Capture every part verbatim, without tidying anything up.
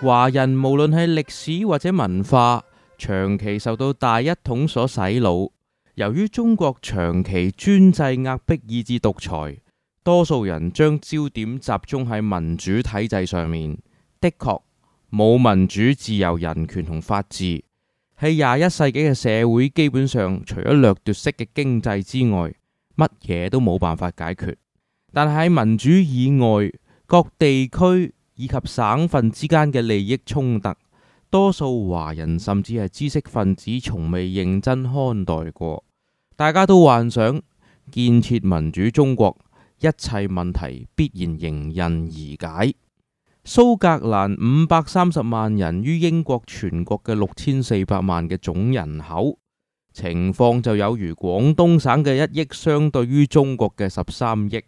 華人無論係歷史或者文化，長期受到大一統所洗腦。由於中國長期專制壓迫以至獨裁，多數人將焦點集中喺民主體制上面。的確，冇民主、自由、人權同法治，喺廿一世紀嘅社會，基本上除咗掠奪式嘅經濟之外，乜嘢都冇辦法解決。但係喺民主以外，各地區以及省份之間嘅利益衝突，多數華人甚至係知識分子從未認真看待過。大家都幻想建設民主中國，一切問題必然迎刃而解。蘇格蘭五百三十萬人於英國全國嘅六千四百萬嘅總人口，情況就有如廣東省嘅一億相對於中國嘅十三億，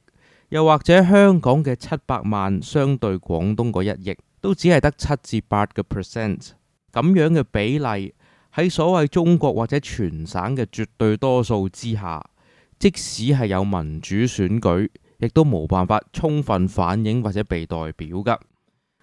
又或者香港嘅七百萬相對廣東嗰一億，都只係得七至八個 percent 咁樣嘅比例。喺所謂中國或者全省嘅絕對多數之下，即使係有民主選舉，亦都冇辦法充分反映或者被代表噶。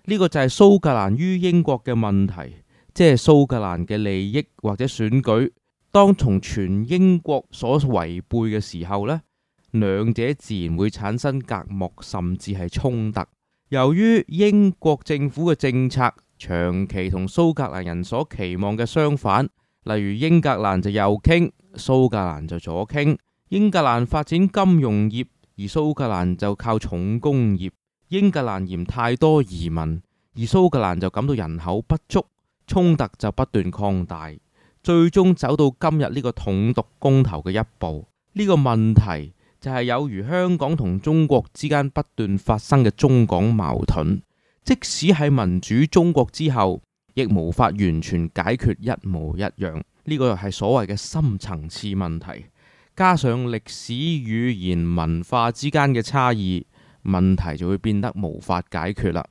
呢個就係蘇格蘭於英國嘅問題，即係蘇格蘭嘅利益或者選舉，當從全英國所違背嘅時候呢，兩者自然會產生隔膜，甚至係衝突。由於英國政府嘅政策長期同蘇格蘭人所期望嘅相反，例如英格蘭就右傾，蘇格蘭就左傾。英格蘭發展金融業，而蘇格蘭就靠重工業。英格蘭嫌太多移民，而蘇格蘭就感到人口不足，衝突就不斷擴大，最終走到今日呢個統獨公投嘅一步。呢個問題就係有如香港同中國之間不斷發生嘅中港矛盾。即使喺民主中國之後，亦無法完全解決一模一樣。呢個係所謂嘅深層次問題，加上歷史、語言、文化之間嘅差異，問題就會變得無法解決啦。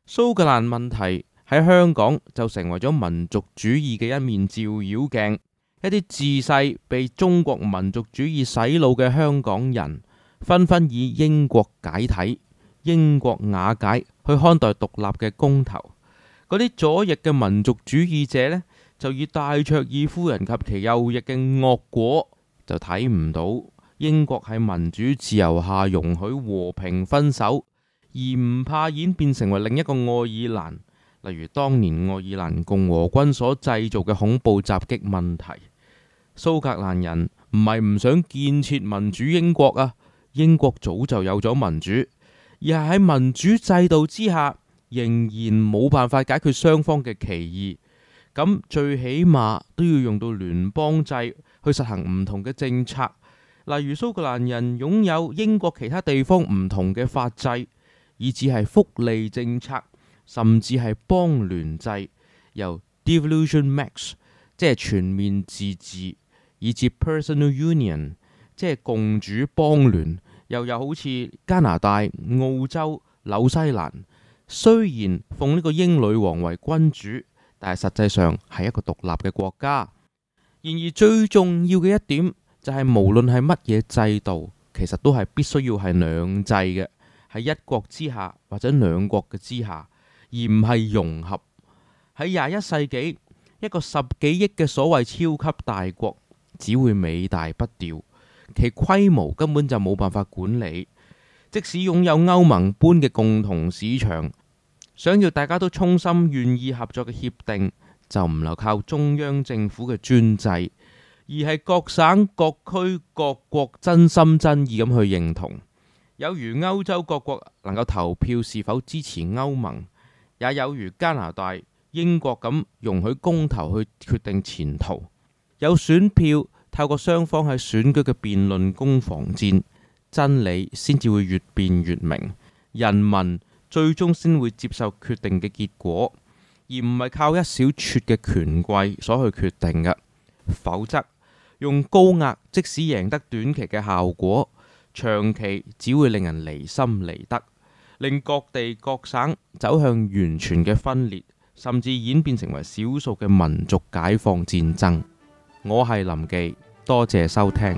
蘇格蘭問題喺香港就成為咗民族主義嘅一面照妖鏡。一啲自細被中國民族主義洗腦嘅香港人，紛紛以英國解體、英國瓦解去看待獨立嘅公投。嗰啲左翼嘅民族主義者呢，就以戴卓爾夫人及其右翼嘅惡果，就睇唔到英國喺民主自由下容許和平分手，而唔怕演變成為另一個愛爾蘭，例如當年愛爾蘭共和軍所製造嘅恐怖襲擊問題。蘇格蘭人唔係唔想建設民主英國啊，英國早就有咗民主，而係喺民主制度之下，仍然冇辦法解決雙方嘅歧義。咁最起碼都要用到聯邦制去實行唔同嘅政策，例如蘇格蘭人擁有英國其他地方唔同嘅法制，以至係福利政策，甚至係邦聯制，由 devolution max 即係全面自治，以至 personal union 即係共主邦聯，又有好似加拿大、澳洲、紐西蘭，雖然奉呢個英女王為君主，但係實際上係一個獨立嘅國家。然而最重要嘅一點就係，無論係乜嘢制度，其實都係必須要係兩制嘅，係一國之下或者兩國嘅之下，而唔係融合。喺廿一世紀，一個十幾億嘅所謂超級大國，只會尾大不掉，其規模根本就冇辦法管理。即使擁有歐盟般嘅共同市場，想要大家都衷心願意合作嘅協定，就唔能靠中央政府嘅專制，而係各省各區各國真心真意咁去認同。有如歐洲各國能夠投票是否支持歐盟，也有如加拿大、英國咁容許公投去決定前途。有選票，透過雙方喺選舉嘅辯論攻防戰，真理先至會越辯越明，人民最終先會接受決定嘅結果，而唔係靠一小撮嘅權貴所去決定嘅。否則用高壓，即使贏得短期嘅效果，長期只會令人離心離德，令各地各省走向完全嘅分裂，甚至演變成為少數嘅民族解放戰爭。我係林記，多謝收聽。